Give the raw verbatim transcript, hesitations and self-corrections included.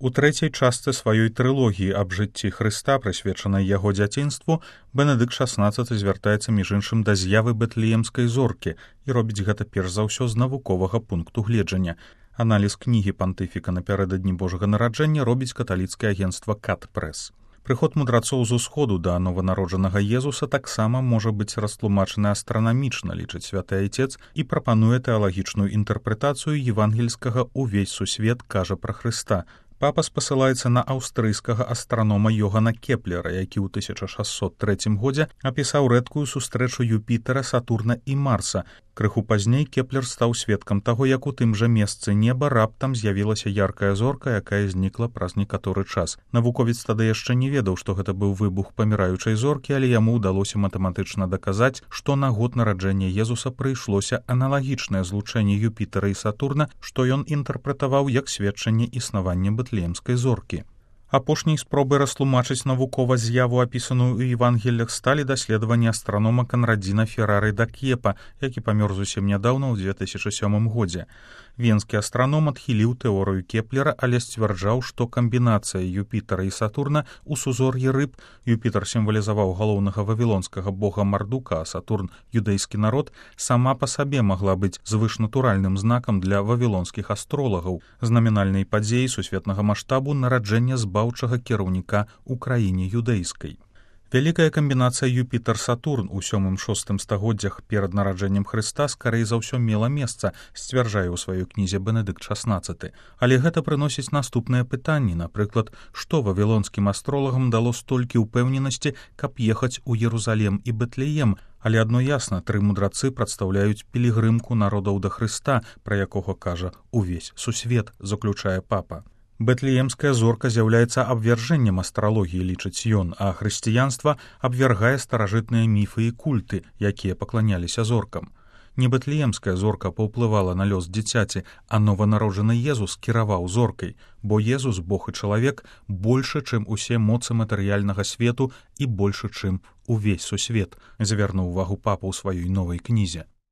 У трэцяй частцы сваёй трылогіі аб жыцці Хрыста, прысвечанай яго дзяцінству, Бенедыкт шаснаццаты звяртаецца між іншым да з'явы бэтлеемскай зоркі і робіць гэта перш за ўсё з навуковага пункту гледжання. Аналіз кнігі пантыфіка напярэдадні Божага нараджэння робіць каталіцкае агенцтва Кат Прэс. Прыход мудрацоў з усходу да нованароджанага Езуса таксама можа быць растлумачаны астранамічна, лічыць святы айцец, і прапануе тэалагічную інтэрпрэтацыю евангельскага «Увесь сусвет кажа пра Хрыста». Папа спасылаецца на аўстрыйскага астранома Йогана Кеплера, які ў тысяча шасцьсот трэцім годзе апісаў рэдкую сустрэчу Юпітера, Сатурна і Марса. Крыху пазней Кеплер стаў сведкам таго, як у тым жа месцы неба раптам з'явілася яркая зорка, якая знікла праз некаторы час. Навуковец тады яшчэ не ведаў, што гэта быў выбух паміраючай зоркі, але яму ўдалося матэматычна даказаць, што на год нараджэння Езуса прыйшлося аналагічнае злучэнне Юпітера і Сатурна, што ён інтэрпрэтаваў як сведчанне існавання бэтлеемскай зоркі. Апошняй спробай растлумачыць навукова з'яву, апісаную ў Евангеллях, сталі даследаванні астранома Канрадзіна Феррары да Кепа, які памёр зусім нядаўна ў дзве тысячы сёмым годзе. Венскі астраном адхіліў тэорыю Кеплера, але сцвярджаў, што камбінацыя Юпітера і Сатурна ў сузор'і рыб, Юпітер сімвалізаваў галоўнага вавілонскага бога Мардука, а Сатурн — юдэйскі народ, сама па сабе магла быць звышнатуральным знакам для вавілонскіх астролагаў, знамінальнай падзеі сусветнага маштабу нараджэння збаўчага кіраўніка ў краіне юдэйскай. Вялікая камбінацыя Юпітер-Сатурн у сёмым-шостым стагоддзях перад нараджэннем Хрыста скарэй за ўсё мела месца, сцвярджае ў сваёй кнізе Бенедыкт шаснаццаты. Але гэта прыносіць наступныя пытанні, напрыклад, што вавілонскім астролагам дало столькі ўпэўненасці, каб ехаць у Ерусалем і Бэтлеем. Але адно ясна, тры мудрацы прадстаўляюць пілігрымку народаў да Хрыста, пра якога кажа «Увесь сусвет», заключае папа. Бэтлеемская зорка з'яўляецца абвяржэннем астралогіі, лічыць ён, а хрысціянства абвяргае старажытныя міфы і культы, якія пакланяліся зоркам. Не бэтлеемская зорка паўплывала на лёс дзіцяці, а нованароджаны Езус кіраваў зоркай, бо Езус, Бог і чалавек, большы, чым усе моцы матэрыяльнага свету і большы, чым увесь сусвет, звярнуў увагу папа ў сваёй новай кнізе.